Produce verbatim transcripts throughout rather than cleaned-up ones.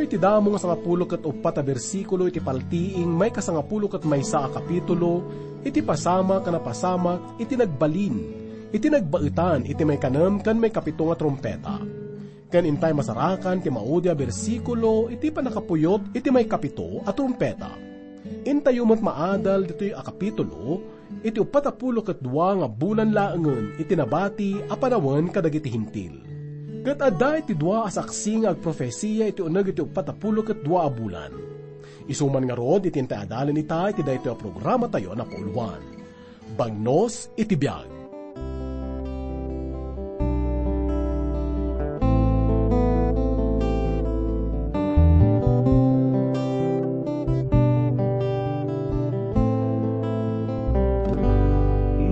Iti damo nga sangapulo ket uppat a bersikulo iti paltiing maikasangapulo ket maysa a kapitulo, iti pasamak a napasamak iti nagbalin, iti nagbaetan iti maikanem ken maikapito nga trumpeta. Ken intay masarakan ti maudi a bersikulo iti pannakapuyot iti maikapito a trumpeta. Intayo met maadal ditoy a kapitulo iti uppat a pulo ket dua nga bulan laengen iti nabati a panawen kadagiti Hentil. Ket adda iti dua a saksi nga agprofesia iti uneg iti uppat a pulo ket dua a bulan. Isu man ngarud iti intay adalen ita iti daytoy a programatayo a napauluan, Bagnos iti Biag.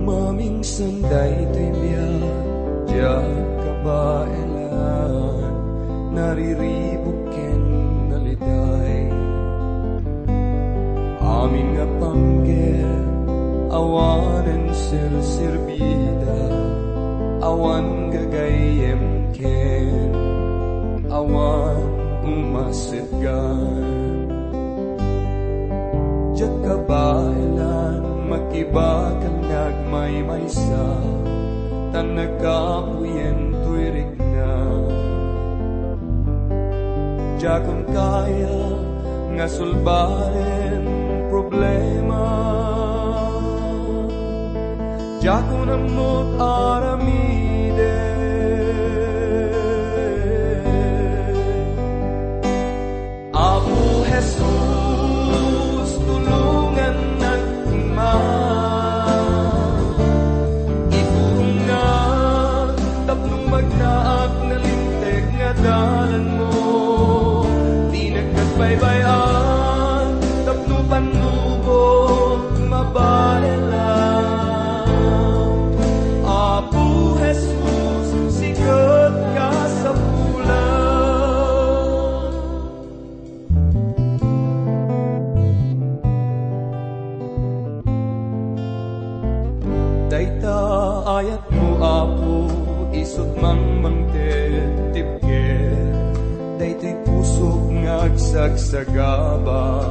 Mamingsan daytoy biag, diak kabaelan, nariribuk ken naliday. Amin nga panggep, awanen serserbida, awan gagayyem ken awan umasetgan. Diak kabaelan, makibakal nga agmaymaysa, tan nagkapuyen toy rikna. Diakon kaya nga sulbaren problema. Diakon ammot aramiden. Apo Jesus, tulongannak koma. Iturongnak tapno magnaak nalinteg nga dalanmo. Dinak agbaybay-an tapno pannubok mabaelan. Apo Jesus, sika ti kasapulan. Dayta ayatmo, Apo, isut' mangmangted ti bker. Daytoy pusok nga agsagsagaba.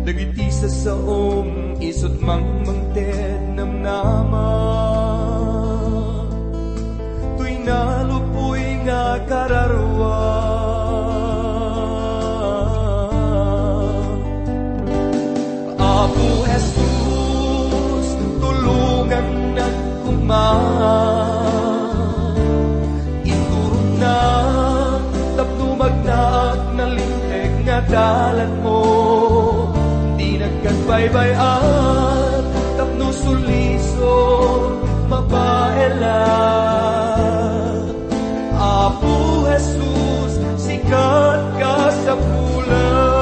Dagiti sasaom, isut' mangmangted namnama. Toy nalupoy nga kararua. Apo Jesus, tulongannak koma. Iturongnak tapno magnaak nalinteg nga dalanmo. Dinak agbaybay-an tapno sulisok mabaelan. Apo Jesus, sika ti kasapulan.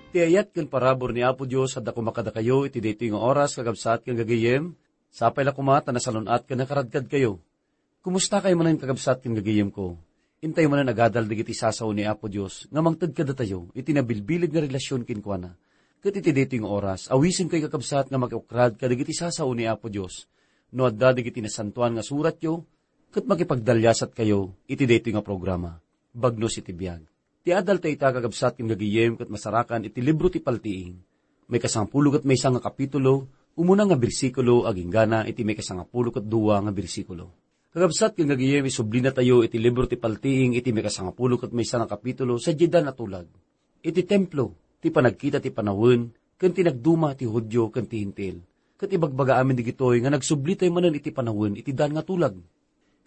Ti ayat ken parabur ni Apo Dios adda koma kadakayo iti daytoy nga oras, kakabsat ken gagayyem. Sapay la koma ta nasalun-at ken nakaradkadkayo. Kumustakayo manen, kakabsat ken gagayyemko? Intayo manen agadal dagiti sasao ni Apo Dios nga mangted kadatayo iti nabilbileg nga relasion kenkuana. Ket iti daytoy nga oras, awisenkayo, kakabsat, nga makiukrad kadagiti sasao ni Apo Dios. No adda dagiti nasantoan nga suratyo, ket makipagdaliasatkayo iti daytoy nga programa, Bagnos iti Biag. Ti adal ta ita, kakabsat ken gagayyem, ket masarakan iti libro ti Paltiing. Maikasangapulo ket maysa nga kapitulo, umuna nga bersikulo, aginggana iti maikasangapulo ket dua nga bersikulo. Kakabsat ken gagayyem, isublinatayo iti libro ti Paltiing iti maikasangapulo ket maysa nga kapitulo, sadiay dan a tulag. Iti templo, ti panagkita ti panawen, ken ti nagduma ti Judio ken ti Hentil. Ket ibagbaga amin dagitoy nga nagsublitayo manen iti panawen iti dan nga tulag.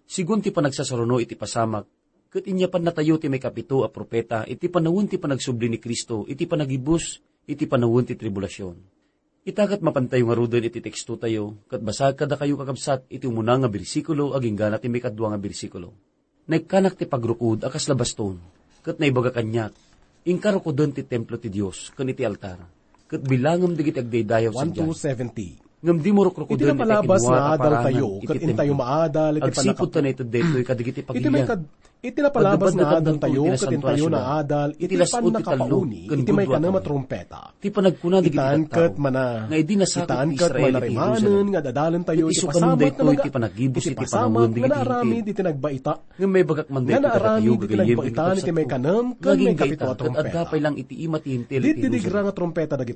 Sigun ti panagsasaruno iti pasamak, ket inyapannatayo ti maikapito a profeta iti panawen ti panagsubli ni Cristo iti panagibus iti panawen ti tribulasion. Ita ket mapantayo ngaruden iti tekstotayo, ket basaek kadakayo, kakabsat, iti umuna nga bersikulo aginggana ti maikadua nga bersikulo. Naikkanak ti pagrukud a kasla baston. Ket naibaga kaniak, inka rukoden ti templo ti Dios ken iti altar, ket bilangem dagiti agdaydayaw sadiay. One two seventy. Ngem dimo rukrukuden iti napalabas nga adaltayo ket intayo maadal iti pannaka-, agsipud ta naited daytoy kadagiti pagilian. Iti napalabas nga adaltayo ket intayo naadal iti pannakapauni iti maikanem a trumpeta. Ti panagkuna dagiti tattao nga idi nasakit ti Israel iti Jerusalem, ket isu kanon daytoy ti panagibus iti panawen dagiti Hentil. Ngem maibagak man daytoy kadakayo, gagayyem ken kabsatko, nga agingga ita ket adda pay lang iti ima ti Hentil iti Jerusalem.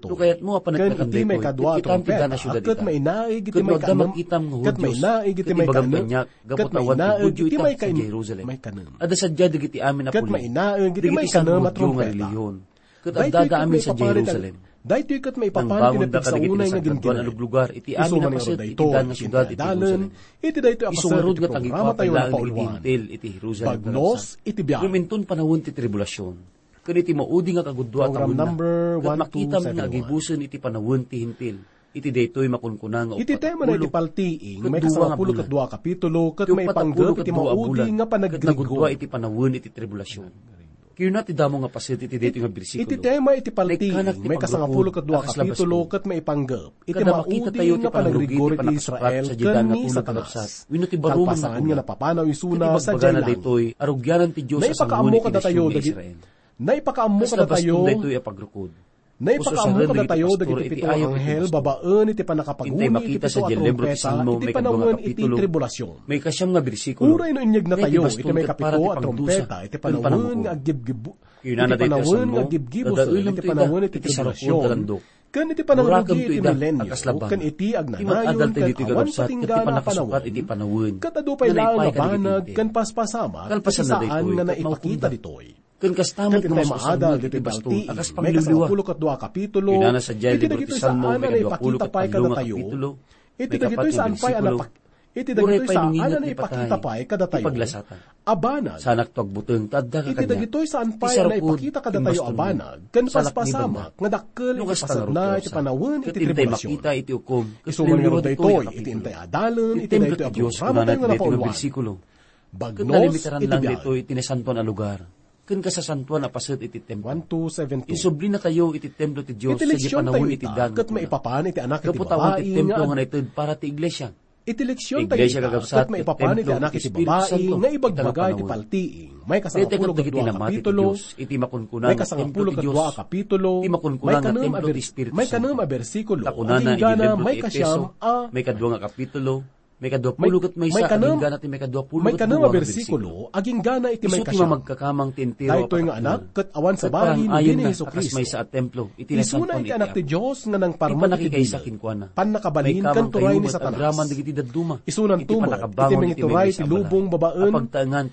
No kayatmo a paneknekan daytoy, ket kitam ti dana siudad ita. Ket no adda makitam nga Judio, ket ibagam kaniak, gapu ta awan ti Judio ita sadiay Jerusalem. Adda sadiay dagiti amin a puli, dagiti san-Judio nga relihiyon. Ket addada amin sadiay Jerusalem. Daytoy ket maipapan ti napigsa unay nga gingirek. Nangbangonda kadagiti nasankaduan a luglugar iti amin a paset iti dan nga siudad iti Jerusalem. Isu ngarud nga tagikuapay laeng dagiti Hentil iti Jerusalem. Bagnos iti biag. Ngem inton panawen ti tribulasion, ken iti maudi nga kagudua a tawenna, ket makitam nga agibusen iti panawen ti Hentil. Iti daytoy makunkuna nga uppat a pulo ket dua nga bulan. Iti tema na iti paltiing, maikasangapulo ket dua a kapitulo, ket maipanggep iti maudi nga panagrigor. Ket nagudua iti panawen iti tribulasion. Kinuna ti damo nga paset iti daytoy nga bersikulo. Iti tema iti paltiing, maikasangapulo ket dua a kapitulo, ket maipanggep iti maudi nga panagrigor iti Israel ken ni Satanas. Kalpasan nga napapanaw isuna sadiay langit. Ket ibagana daytoy, arugianan ti Dios a sangoen iti nasion nga Israel. Naipakaammo kadatayo dagiti Naipakaammo kadatayo dagiti pito nga anghel babaen iti pannakapaguni iti pito a trumpeta iti panawen iti tribulasion. Uray no inyeg natayo iti maikapito a trumpeta iti panawen nga aggibgib-, iti panawen nga aggibgibusen iti panawen iti tribulasion, ken iti pananunogi iti milenio, ken iti agnanayon ken awan patinggana a panawen, ket adu pay laeng a banag ken paspasamak iti saan nga naipakita ditoy. Ken kasta met nga maadal ditoy balti, maikasangapulo ket dua a kapitulo, iti dagitoy saan a naipakita pay kadatayo, iti dagitoy saan pay a napak-, iti dagitoy saan a naipakita pay kadatayo a banag. Saanakto agbuteng ta adda ka kaniak. Iti dagitoy saan pay a naipakita kadatayo a banag, ken paspasamak nga dakkel iti pasetna iti panawen iti tribulasion. Isu man ngarud daytoy iti intay adalen iti daytoy a programa tayo nga napauluan. Bagnos iti biag. Ket nalimiteran lang daytoy iti nasantoan a lugar ken kasasantoan a paset iti templo. One two seven two. Insublinakayo iti templo ti Dios sadiay panawen iti dan ket maipapan iti Anak iti Babai nga ag-, iti leksion tayo ita ket maipapan iti Anak iti Babai nga ag-, iti leksion tayo ita ket maipapan iti Anak iti Babai nga ibagbaga iti paltiing, maikasangapulo ket dua a kapitulo, maikasangapulo ket dua a kapitulo, maikanem a bers-, maikanem a bersikulo, agingga na maikasiam a, maikadua nga kapitulo, Maikadua pulo ket maysa, agingga na ti maikadua pulo ket dua nga bersikulo, agingga na iti maikasiam. Isu ti mamagkakamang ti entero a panagtulnog. Daytoy nga anak ket awan sabali no di ni Jesu-Cristo. Isuna iti Anak ti Dios nga nangparmek iti bileg, pannakabalin ken turay ni Satanas. Isunan to met iti mangituray ti lubong babaen.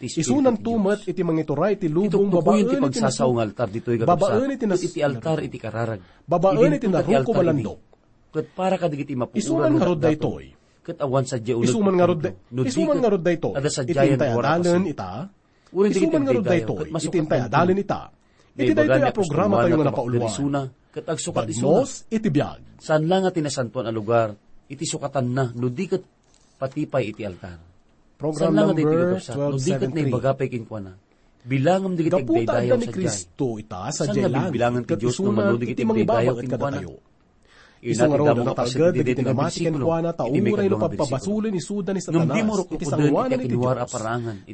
Isunan to met iti mangituray ti lubong babaen iti nasao nga altar ditoy nga kabsat, iti altar iti kararag. Babaen iti narukom a landok. Ket para kadagiti mapuoran nga agdaton, ket awan sadiay uneg ti templo. Isu man ngarud daytoy, iti intay adalen ita. Isu man ngarud daytoy, iti intay adalen ita. Iti daytoy a programa tayo nga napauluan. Bagnos iti biag. Saan la nga ti nasantoan a lugar iti sukatanna, no di ket pati pay iti altar. Saan la nga daytoy kakabsat, no di ket naibaga pay kenkuana, bilangem dagiti agdaydayaw sadiay. Gapu ta adda ni Cristo ita sadiay langit, ket isuna iti mangibabag ket kadatayo. Isu ngarud a natalged dagiti namati kenkuana ta uray no pagpabasolen isuda ni Satanas iti sangoanan iti Dios.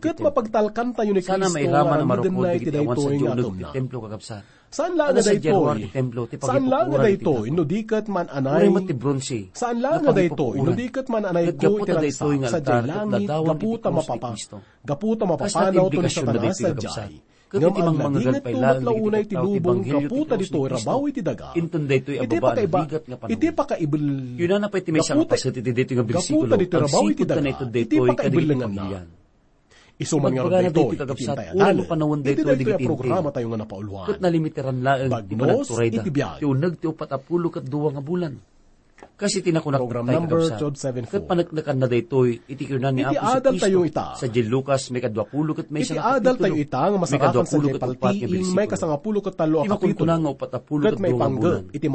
Ket mapagtalkantayo ni Cristo nga aramiden na iti daytoy nga atumna. Saan laeng nga daytoy, saan laeng nga daytoy no di ket man-anay, saan laeng nga daytoy no di ket man-anay ko iti ragsak sadiay langit gapu ta mapapa-, gapu ta mapapanaw to ni Satanas sadiay. Ngem agnadingedto met la unay ti lubong gapu ta ditoy rabaw iti daga. Iti pakaibil-, iti pakaibil-, gapu ta, gapu ta ditoy rabaw iti daga, iti pakaibillenganna. Isu man ngarud daytoy, iti intay adalen, iti daytoy a programa tayo nga napauluan. Bagnos iti biag. Ti uneg ti uppat a pulo ket dua nga bulan. Kas iti nakunak tayo, kakabsat, ket paneknekanna daytoy iti kinuna ni Apo Jesu-Cristo sadiay Lucas, maikadua pulo ket maysa nga kapitulo, maikadua pulo ket uppat nga bersikulo. Iti makunkuna nga uppat a pulo ket dua nga bulan, ket iti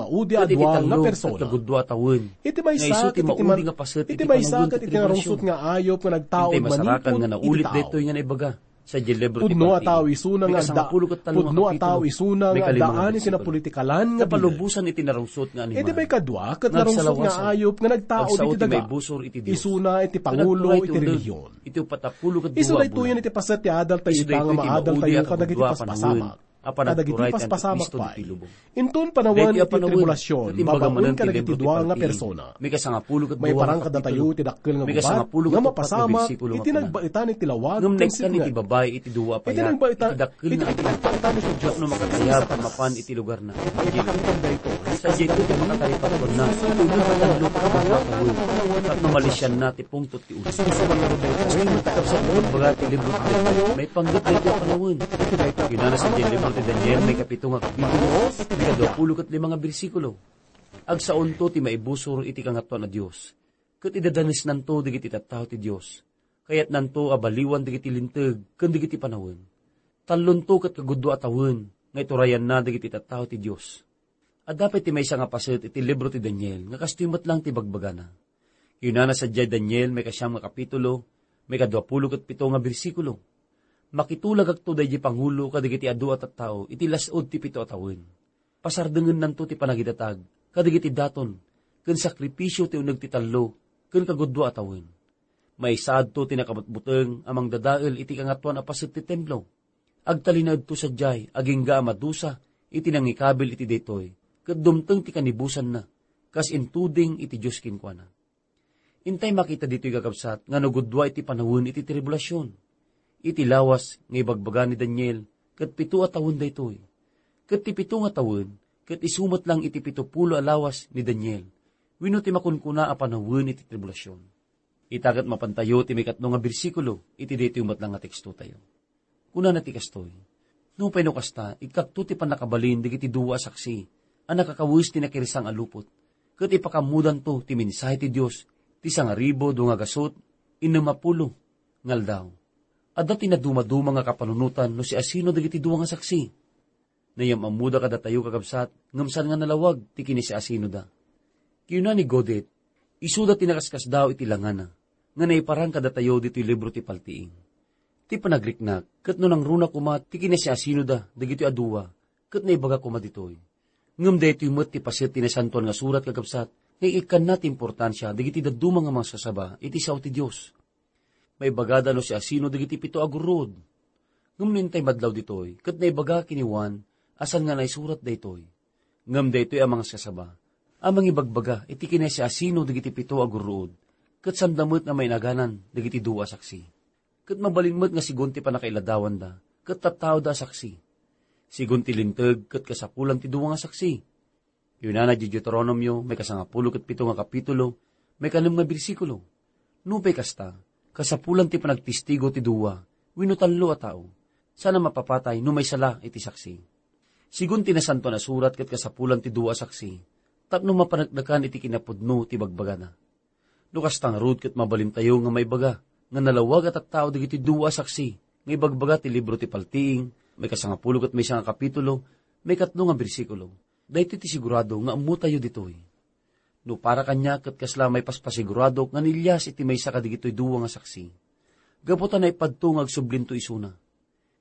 tallo ket kagudua a tawen, nga isu ti maudi nga paset iti panawen ti tribulasion. Intay masarakan nga naulit daytoy nga naibaga. Sadiay libro ti Pudno a Paltiing, tao isuna nga adda, pudno a tao isuna nga addaan iti napolitikalan nga bileg. Napalubosan iti narungsot nga animal. Iti maikadua, ket narungsot nga ayup nga nagtao iti daga. Isuna iti pangulo iti relihion. Iti upat a pulo ket dua a bulan. Isu daytoyen iti paset ti adal tayo ita nga maadal tayo kadagiti paspasamak. Kadagiti paspasamak pay. Inton panawen iti tribulasion, babaen kadagiti dua nga persona. Maiparang kadatayo iti dakkel nga gubat nga mapasamak iti nagbaetan iti lawag ken sirna. Iti nagbaetan iti lawag ken sirna. Iti nagbaetan iti dakkel nga gubat no makatayab mapan iti lugarna. Sadiay iti makatayab a tuanna. Iti uneg a tallo ket matawen. Tapno malisianna ti pungtot ti ulo. Iti kabsat, baga ti libro ti Daniel, maipanggep daytoy a panawen. Kinuna sadiay libro ti Daniel, maikapito nga kapitulo, maikadua pulo ket lima nga bersikulo. Agsaonto ti maibusor iti Kangatoan a Dios, ket idadanesnanto dagiti tattao ti Dios. Kayatnanto a baliwan dagiti linteg ken dagiti panawen. Tallonto ket kagudua a tawen nga iturayanna dagiti tattao ti Dios. Adda pay ti maysa nga paset iti libro ti Daniel nga kastoy met lang ti bagbagana. Kinuna sadiay Daniel, maikasiam nga kapitulo, maikadua pulo ket pito nga bersikulo. Makitulagakto daydi pangulo kadagiti adu a tattao iti las-ud ti pito a tawen. Pasardengennanto ti panagidatag kadagiti daton ken sakripisio ti uneg ti tallo ken kagudua a tawen. Maisaadto ti nakabutbuteng a mangdadael iti kangatoan a paset ti templo. Agtalinaedto sadiay agingga a madusa iti nangikabil iti daytoy, ket dumteng ti kanibusanna, kas intuding iti Dios kenkuana. Intay makita ditoy, kakabsat, nga nagudua iti panawen iti tribulasion. Iti lawas nga ibagbaga ni Daniel, ket pito a tawen daytoy. Ket ti pito nga tawen, ket isu met lang iti pito pulo a lawas ni Daniel, wenno ti makunkuna a panawen iti tribulasion. Ita ket mapantayo ti maikatlo nga bersikulo iti daytoy met lang nga tekstotayo. Kunana ti kastoy, "Nupay no kasta, ikkakto ti pannakabalin dagiti dua a saksi a nakakawes ti nakirsang a lupot, ket ipakammodanto ti mensahe ti Dios ti sangaribu dua nga gasut innem a pulo nga aldaw." Adda ti nadumaduma nga kapanunotan no siasino dagiti dua nga saksi. Nayam-ammoda kadatayo, kakabsat, ngem saan nga nalawag ti kinasiasinoda. Kinuna ni Godet, isuda ti nakaskasdaaw iti langana, nga naiparang kadatayo ditoy libro ti Paltiing. Ti panagriknak, ket no nangruna koma ti kinasiasinoda dagitoy a dua, ket naibaga koma ditoy. Ngem daytoy met ti paset ti Nasantoan nga Surat, kakabsat, nga ikkanna ti importansia dagiti dadduma nga mangsasaba iti sao ti Dios. Maibagada no siasino dagiti pito a gurruod. Ngem no intay madlaw ditoy, ket naibaga ken ni Juan a saan nga naisurat daytoy. Ngem daytoy a mangaskasaba a mangibagbaga iti kinasiasino dagiti pito a gurruod, ket saanda met nga mainaganan dagiti dua a saksi. Ket mabalin met nga sigun ti pannakailadawanda, ket tattaoda a saksi. Sigun ti Linteg, ket kasapulan ti dua nga saksi. Kinuna diay Deuteronomio, maikasangapulo ket pito nga kapitulo, maikanem nga bersikulo. Nupay kasta, kasapulan ti panagtestigo ti dua wenno tallo a tao, saan a mapapatay no maysa la iti saksi. Sigun ti Nasantoan a Surat, ket kasapulan ti dua a saksi tapno mapaneknekan iti kinapudno ti bagbagana. No kasta ngarud, ket mabalintayo nga maibaga nga nalawag a tattao dagiti dua a saksi nga ibagbaga ti libro ti Paltiing, maikasangapulo ket maysa nga kapitulo, maikatlo nga bersikulo. Daytoy ti sigurado nga ammotayo ditoy. No para kaniak, ket kasla maipaspasiguradok nga ni Elias iti maysa kadagitoy dua nga saksi. Gapu ta naipadto nga agsublito isuna.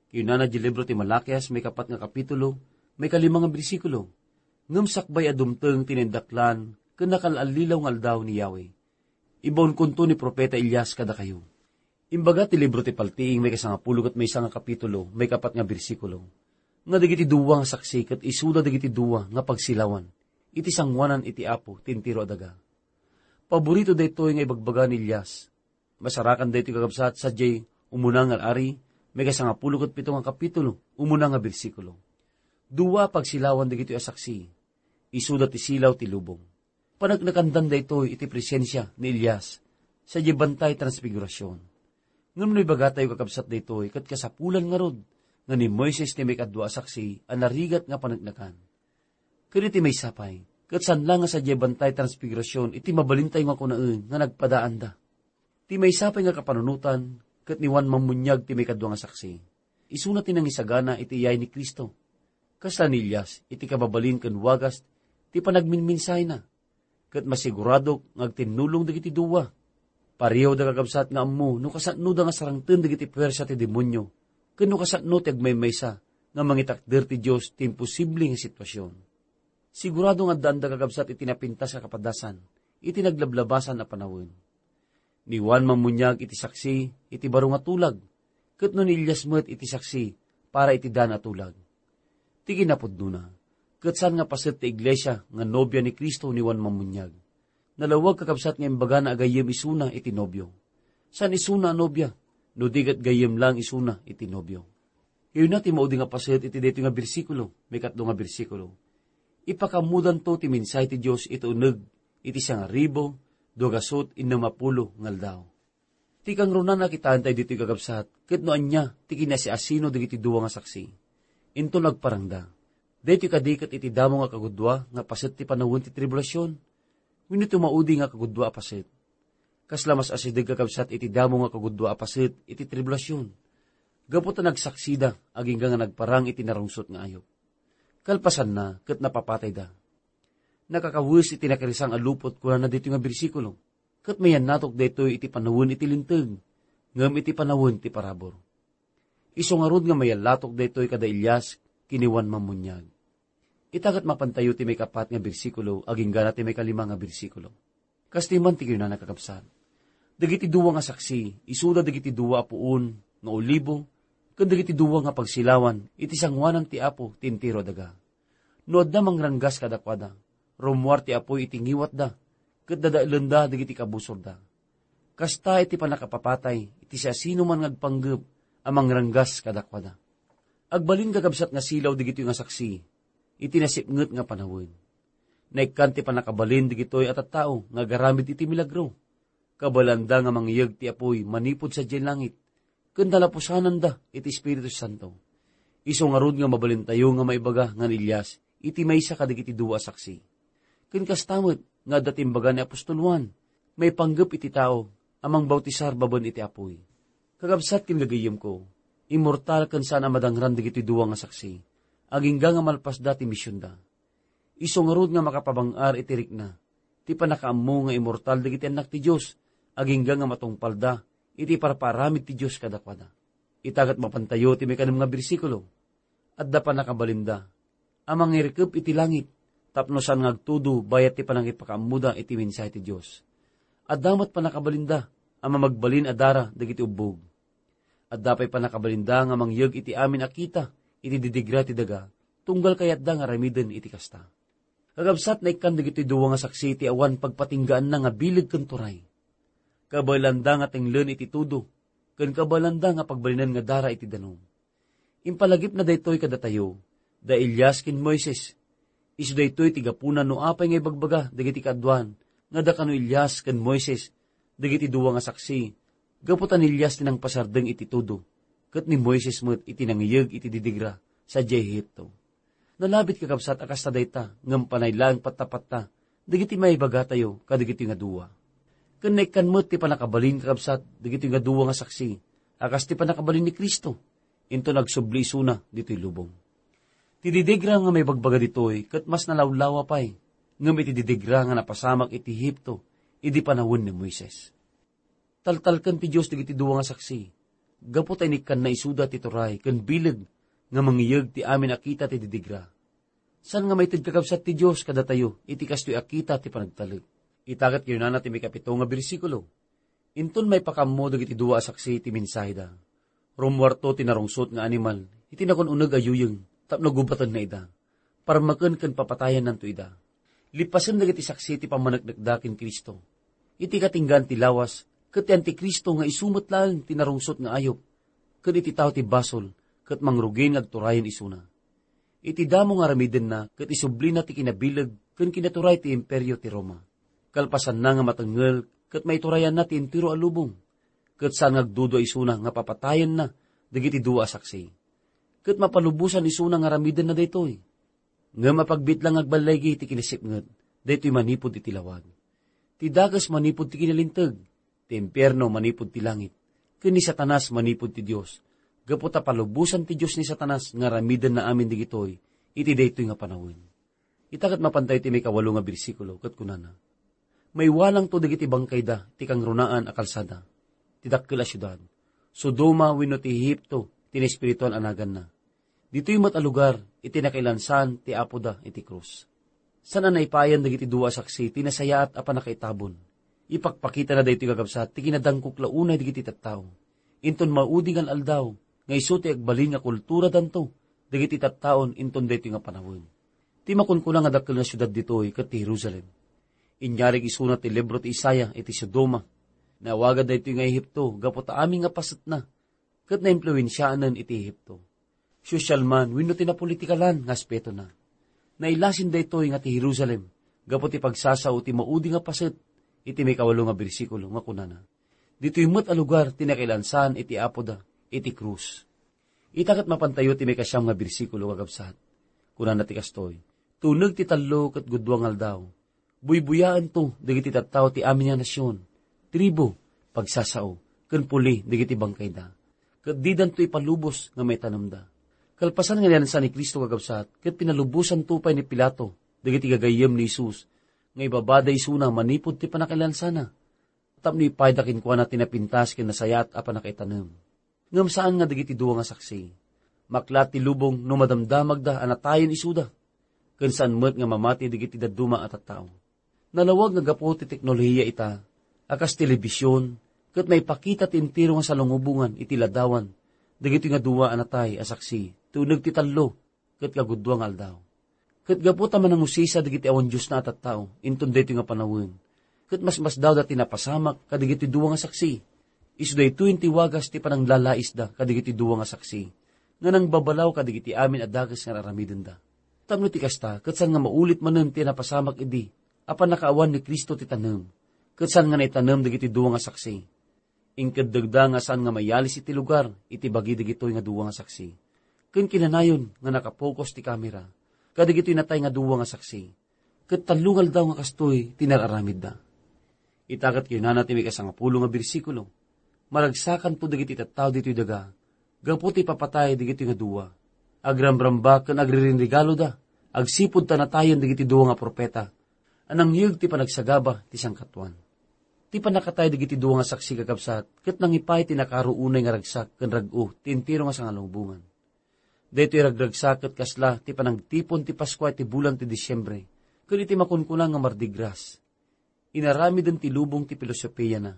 Kinuna diay libro ti Malakias, maikapat nga kapitulo, maikalima nga bersikulo, "Ngem sakbay a dumteng ti naindaklan ken nakal-allilaw nga aldaw ni Yahweh, ibaonkonto ni profeta Elias kadakayo." Imbaga ti libro ti Paltiing, maikasangapulo ket maysa nga kapitulo, maikapat nga bersikulo, nga dagiti dua nga saksi ket isuda dagiti dua nga pagsilawan iti sangoanan iti Apo ti entero a daga. Paborito daytoy nga ibagbaga ni Elias. Masarakan daytoy, kakabsat, sadiay Umuna nga Al-ari, maikasangapulo ket pito nga kapitulo, umuna nga bersikulo. Dua a pagsilawan dagitoy a saksi. Isuda ti silaw ti lubong. Paneknekandan daytoy iti presensia ni Elias sadiay bantay transfigurasion. Ngem no ibagatayo, kakabsat, daytoy, ket kasapulan ngarud nga ni Moises ti maikadua a saksi a narigat nga paneknekan. Ket iti maysa pay, ket saan la nga sadiay bantay transfigurasion iti mabalintayo nga kunaen nga nagpadaanda. Ti maysa pay nga kapanunotan, ket ni Juan Mammuniag ti maikadua nga saksi. Isuna ti nangisagana iti iyay ni Cristo. Kasla ni Elias iti kababalin ken wagas ti panagminmensahena. Ket masiguradok nga agtinnulong dagiti dua. Pareho da, kakabsat, nga ammo no kasanoda nga sarangten dagiti puersa ti demonio Ken no kasano ti agmaymaysa nga mangitakder ti Dios ti imposible nga sitwasion? Sigurado nga addaanda kakabsat iti napintas a kapadasan, iti naglablabasan a panawen. Ni Juan Mammuniag iti saksi iti baro nga tulag, ket no ni Elias met iti saksi para iti dan a tulag. Ti kinapudnona, ket saan nga paset ti iglesia nga nobia ni Cristo ni Juan Mammuniag. Nalawag kakabsat nga imbagana a gayyem isuna iti nobio. Saan isuna a nobia, no di ket gayyem laeng isuna iti nobio. Kayuna ti maudi nga paset iti daytoy nga bersikulo, maikatlo nga bersikulo. Ipakaammodanto ti mensahe ti Dios iti uneg iti sangaribu, dugasut, innem a pulo nga aldaw. Ti kangrunaan a kitaentayo ditoy, kakabsat, ket no ania ti kinasiasino dagiti dua nga saksi. Inton agparangda. Daytoy kadi ket iti damo nga kagudua nga paset ti panawen ti tribulasion? Wenno ti maudi nga kagudua a paset? Kasla mas asideg, kakabsat, iti damo nga kagudua a paset iti tribulasion, gapu ta nagsaksida agingga nga nagparang iti narungsot nga ayup. Kalpasanna, ket napapatayda. Nakakawes iti nakirsang a lupot, kunana ditoy nga bersikulo, ket mayannatok daytoy iti panawen iti linteg, ngem iti panawen ti parabur. Isu ngarud nga mayallatok daytoy kada Elias ken ni Juan Mammuniag. Ita ket mapantayo ti maikapat nga bersikulo agingga ti maikalima nga bersikulo. Kastoy man ti kinunana, kakabsat. Dagiti dua nga saksi, isuda dagiti dua a puon nga olibo, ken dagiti dua nga pagsilawan iti sangoanan ti Apo ti entero a daga. No adda mangranggas kadakuada, rummuar ti apuy iti ngiwatda, ket dadaelenda dagiti kabusorda. Kasta iti pannakapapatay iti siasinoman nga agpanggep a mangranggas kadakuada. Agbalin, kakabsat, nga silaw dagitoy nga saksi iti nasipnget nga panawen. Naikkan ti pannakabalin dagitoy a tattao nga agaramid iti milagro. Kabaelanda nga mangiyeg ti apuy manipud sadiay langit, ken nalapusananda iti Espiritu Santo. Isu ngarud nga mabalintayo nga maibaga nga ni Elias iti maysa kadagiti dua a saksi. Ken kasta met nga adda ti imbaga ni apostol Juan, maipanggep iti tao a mangbautisar babaen iti apuy. Kakabsat ken gagayyemko, immortal ken saan a madangran dagiti dua nga saksi, agingga nga malpasda ti misionda. Isu ngarud nga makapabang-ar iti rikna ti pannakaammo nga immortal dagiti annak ti Dios, agingga nga matungpalda iti parpaaramid ti Dios kadakuada. Ita ket mapantayo ti maikanem nga bersikulo. Adda pannakabalinda a mangirikep iti langit tapno saan nga agtudo bayat ti pannakipakaammoda iti mensahe ti Dios. Adda met pannakabalinda a mamagbalin a dara dagiti ubbog. Adda pay pannakabalinda nga mangyeg iti amin a kita iti didigra ti daga, tunggal kayatda nga aramiden iti kasta. Kakabsat, naikkan dagitoy dua nga saksi ti awan pagpatinggaanna nga bileg ken turay. Kabaelanda nga tenglen iti tudo, ken kabaelanda nga pagbalinen nga dara iti danum. Impalagipna daytoy kadatayo, da Elias ken Moises. Isu daytoy ti gapuna no apay nga ibagbaga dagiti kaaduan nga da kano Elias ken Moises dagiti dua nga saksi, gapu ta ni Elias ti nangpasardeng iti tudo, ket ni Moises met iti nangiyeg iti didigra sadiay Egipto. Nalabit, kakabsat, a kasta dayta, ngem panay laeng pattapatta dagiti maibagatayo kadagitoy nga dua. Ken naikkan met ti pannakabalin, kakabsat, dagitoy nga dua nga saksi a kas ti pannakabalin ni Cristo, inton agsubli isuna ditoy lubong. Ti didigra nga maibagbaga ditoy ket mas nalawlawa pay ngem iti didigra nga napasamak iti Egipto idi panawen ni Moises. Taltalken ti Dios dagiti dua nga saksi, gapu ta inikkanna isuda ti turay ken bileg nga mangiyeg ti amin a kita ti didigra. Saan nga maited, kakabsat, ti Dios kadatayo iti kastoy a kita ti panagtalek. Ita ket kinunana ti maikapito nga bersikulo, inton maipakaammo dagiti dua a saksi ti mensaheda. Rummuarto ti narungsot nga animal iti nakun-uneg a yuyeng tapno gubatenna ida. Parmeken ken papatayannanto ida. Lippasen dagiti saksi ti pammaneknekda ken Cristo. Iti katinggaan ti lawas, ket ti Anticristo nga isu met laeng ti narungsot nga ayup, ken iti tao ti basol, ket mangrugi nga agturayen isuna. Iti damo nga aramidenna ket isublina ti kinabileg ken kinaturay ti Imperio ti Roma. Kalpasanna nga matengngel ket maiturayanna ti entero a lubong, ket saan nga agdudua isuna nga papatayenna dagiti dua a saksi. Ket mapalubosan isuna nga aramidenna daytoy. Ngem apagbiit la nga agballaygi ti kinasipnget, daytoy manipud iti lawag. Ti dakes manipud ti kinalinteg, ti impierno manipud ti langit, ken ni Satanas manipud ti Dios, gapu ta palubosan ti Dios ni Satanas nga aramidenna amin dagitoy iti daytoy nga panawen. Ita ket mapantayo ti maikawalo nga bersikulo, ket kunana, "Maiwalangto dagiti bangkayda ti kangrunaan a kalsada ti dakkel a siudad, Sodoma wenno ti Egipto ti naespirituan a naganna. Ditoy met a lugar iti nakailansan ti Apoda iti krus. Saan a naipayan dagiti dua a saksi ti nasayaat a pannakaitabon. Ipakpakitana daytoy nga kabsat ti kinadangkok la unay dagiti tattao. Inton maudi nga aldaw, nga isu ti agbalin nga kulturadanto dagiti tattaon inton daytoy nga panawen. Ti makunkuna nga dakkel nga siudad ditoy ket ti Jerusalem. Inyarig isuna ti libro ti Isaiah iti Sodoma. Naawagan daytoy nga Ehipto gapu ta amin nga pasetna ket naimpluensianen iti Ehipto. Sosyal man wenno ti napolitikalan nga aspetona. Nailasin daytoy nga ti Jerusalem gapu ti pagsasao ti maudi nga paset iti maikawalo nga bersikulo nga kunana, "Ditoy met a lugar ti nakailansan iti Apoda iti krus." Ita ket mapantayo ti maikasiam nga bersikulo nga kabsat. Kunana ti kastoy, "Tuneg ti tallo ket gudua nga aldaw, buybuyaento dagiti tattao ti amin nga nasion, tribu, pagsasao, ken puli dagiti bangkayda, ket didanto ipalubos nga maitanemda." Kalpasan nga nialansa ni Cristo, kakabsat, ket pinalubosanto pay ni Pilato dagiti gagayyem ni Jesus nga ibabada isuna manipud ti pannakailansana, tapno ipayda kenkuana ti napintas ken nasayaat a pannakaitanem. Ngem saan nga dagiti dua nga saksi. Maklat ti lubong no madamdamagda a natayen isuda, ken saan met nga mamati dagiti dadduma a tattao. Nalawag nga gapu ti teknolohiya ita, a kas telebision, ket maipakita ti entero nga salungubongan iti ladawan dagitoy nga dua a natay a saksi ti uneg ti tallo ket kagudua nga aldaw. Ket gapu ta manangusisa dagiti awan Diosna a tattao inton daytoy nga panawen, ket masmasdawda ti napasamak kadagiti dua nga saksi. Isu daytoyen ti wagas ti pananglalaisda kadagiti dua nga saksi nga nangbabalaw kadagiti amin a dakes nga ar-aramidenda. Tapno ti kasta, ket saan nga maulit manen ti napasamak idi a pannakaawan ni Cristo ti tanem, ket saan nga naitanem dagiti dua nga saksi. Inkeddegda nga saan nga mayalis iti lugar iti bagi dagitoy nga dua nga saksi. Ken kinanayon nga nakapokos ti kamera kadagitoy natay nga dua nga saksi. Ket tallo nga aldaw nga kastoy ti nar-aramidda. Ita ket kinana ti maikasangapulo nga bersikulo, "Maragsakanto dagiti tattao ditoy daga gapu ti ipapatay dagitoy nga dua. Agramramba ken agririnregaloda agsipud ta natayen dagiti dua nga profeta a nangyeg ti panagsagaba ti sangkatuan." Ti pannakatay dagiti dua nga saksi, kakabsat, ket nangipay ti nakaro unay nga ragsak ken rag-o ti entero nga sangalubongan. Daytoy ragragsak ket kasla ti panagtipon ti Paskua iti bulan ti Disiembre ken iti makunkuna nga Mardi Gras. Inaramiden ti lubong ti pilosopiana.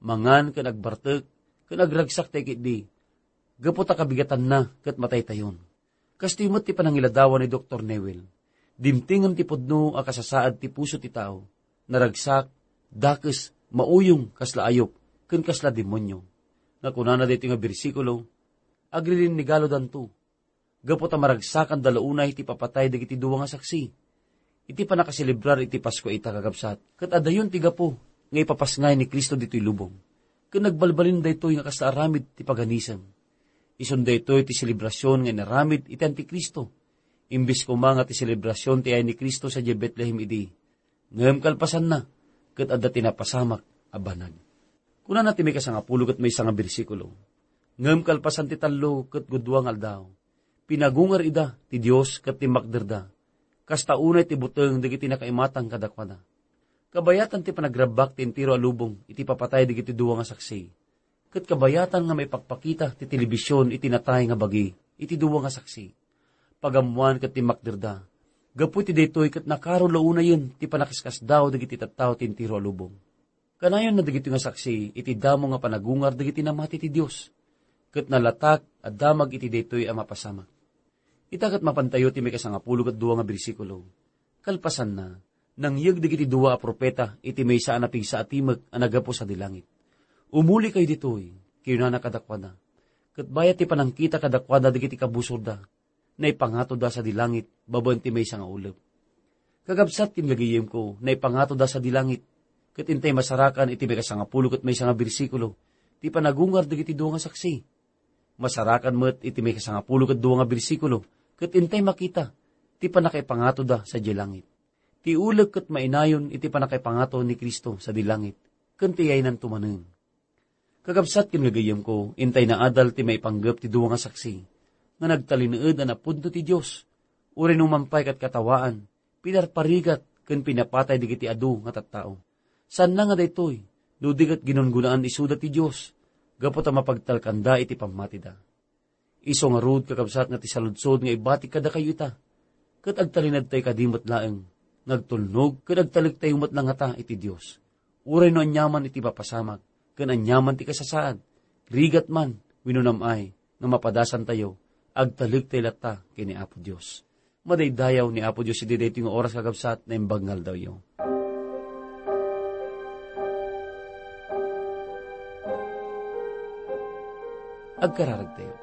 Mangan ken agbartek ken agragsak ti ketdi gapu ta kabigatanna ket mataytayon. Kastoy met ti panangiladawan ni Doktor Newell. Dimtengen ti pudno a kasasaad ti puso ti tao. Naragsak, dakes, mauyong kasla ayup, ken kasla demonio. Nga kunana daytoy nga bersikulo, "Agririnregalodanto gapu ta maragsakanda la unay ti ipapatay dagiti dua nga saksi." Iti pannakaselebrar iti Paskua ita, kakabsat, ket adayon ti gapu nga ipapasngay ni Cristo ditoy lubong. Ken nagbalbalin daytoy nga kasla aramid ti paganism. Isun daytoy ti selebrasion nga inaramid iti Antikristo. Imbes koma nga ti selebrasion ti ayay ni Cristo sadiay Betlehem idi, ngem kalpasanna, ket adda ti napasamak a banag. Kunana ti maikasangapulo ket maysa nga bersikulo, "Ngem kalpasan ti tallo ket gudua nga aldaw, pinagungar ida ti Dios ket timmakderda, kasta unay ti buteng dagiti nakaimatang kadakuada." Kabayatan ti panagrabbak ti entero a lubong iti papatay dagiti dua nga saksi. Ket kabayatan nga maipakpakita ti telebision iti natay nga bagi iti dua nga saksi. Pagammoan ket timmakderda. Gapu iti daytoy ket nakaro la unayen ti panakaskasdaaw dagiti tattao ti entero a lubong. Kanayonna dagitoy nga saksi iti damo nga panagungar dagiti namati ti Dios, ket nalatak a damag iti daytoy a mapasamak. Ita ket mapantayo ti maikasangapulo ket dua nga bersikulo. Kalpasanna, nangyeg dagiti dua a profeta iti maysa a napigsa a timek a naggapu sadi langit. "Umulikayo ditoy," kinunana kadakuada. Ket bayat ti panangkita kadakuada dagiti kabusorda, naipangatoda sadi langit babaen ti maysa nga ulep. Kakabsat ken gagayyemko, naipangatoda sadi langit, ket intay masarakan iti maikasangapulo ket maysa nga bersikulo ti panagungar dagiti dua nga saksi. Masarakan met iti maikasangapulo ket dua nga bersikulo, ket intay makita ti pannakaipangatoda sadiay langit. Ti ulep ket mainayon iti pannakaipangato ni Cristo sadi langit, ken ti yaynanto manen. Kakabsat ken gagayyemko, intay naadal ti maipanggep ti dua nga saksi nga nagtalinaed a napudno ti Dios, uray no man pay ket katawaan, pinarparigat ken pinapatay dagiti adu nga tattao. Saanna nga daytoy, no di ket ginungonaan isuda ti Dios, gapu ta mapagtalkanda iti pammatida. Isu ngarud, kakabsat, nga ti saludsod nga ibatik kadakayo ita, ket agtalinaedtayo kadi met laeng nga agtulnog ket agtalektayo met la ngata iti Dios. Uray no aniaman iti papasamak ken aniaman ti kasasaad, rigat man wenno nam-ay nga mapadasantayo, agtalektayo latta ken ni Apo Dios. Madaydayaw ni Apo Dios iti daytoy nga oras, kakabsat, naimbag nga aldawyo. Agkararagtayo.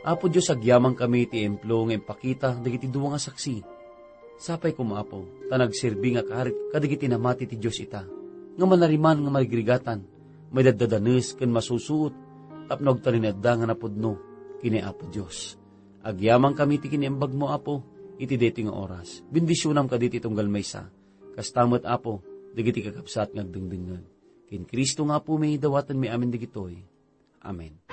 Apo Dios, agyamankami iti emplo nga impakita dagiti dua nga saksi. Sapay koma, Apo, ta nagserbi nga karit kadagiti namati ti Dios ita, nga manariman nga marigrigatan, maidaddadanes ken masusuot tapno agtalinaedda nga napudno ken ni Apo Dios. Agyamankami iti kiniembagmo, Apo, iti daytoy nga oras. Bendisionam kadagiti tunggal maysa. Kasta met, Apo, dagiti kakabsat nga agdengdengngeg. Ken Cristo nga Apomi, dawatenmi amin dagitoy. Amen.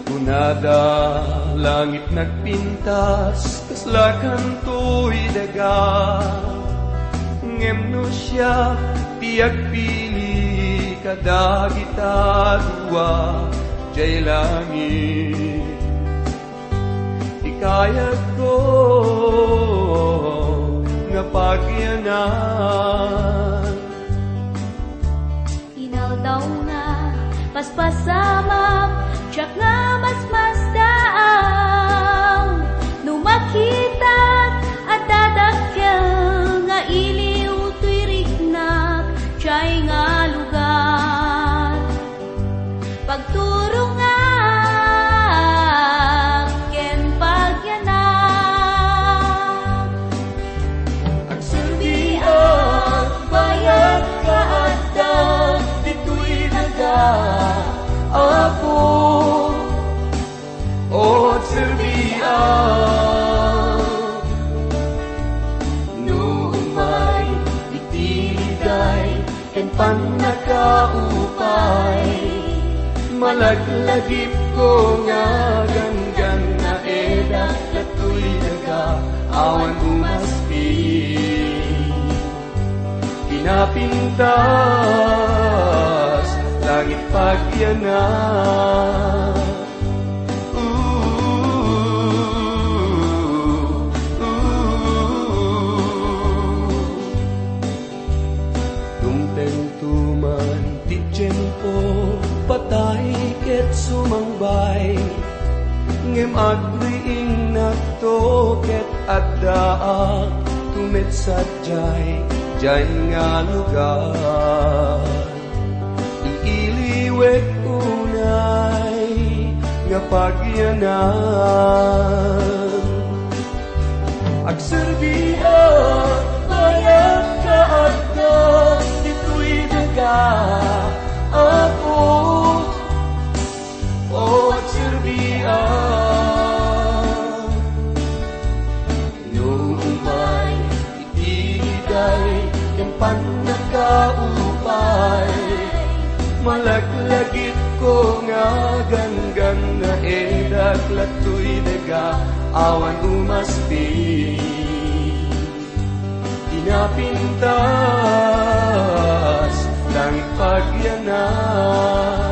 Kunada, langit nagpintas, kasla kantoy daga. Ngem no siak ti agpili kadagita dua, jay langit ti kayatko nga pagyanan. Inaldaw nga paspasamak, siak nga masmasdaaw. No makitak, adda dakkel nga iliw toy riknak, jay nga lugar. Pagturongak ken pagyanak. Agserbiak, bayat nga adda ditoy daga, Apo. O, agserbiak. No umay iti liday ken pannakaupay, malaglagipko nga ganggannaedak datoy daga awan umaspi. Kinapintas, langit pagyanak. Dumtengto man ti tiempo, patay ket sumangbay. Ngem agriinnakto ket addaak met sadiay, diay nga lugar. Iiliwek unay nga pagyanan. Agserbiak, bayat nga adda ditoy daga, Apo. O, agserbiak. No umay iti liday ken pannakaupay, malaglagipko nga ganggannaedak datoy daga awan umaspi. Kinapintas, langit pagyanak.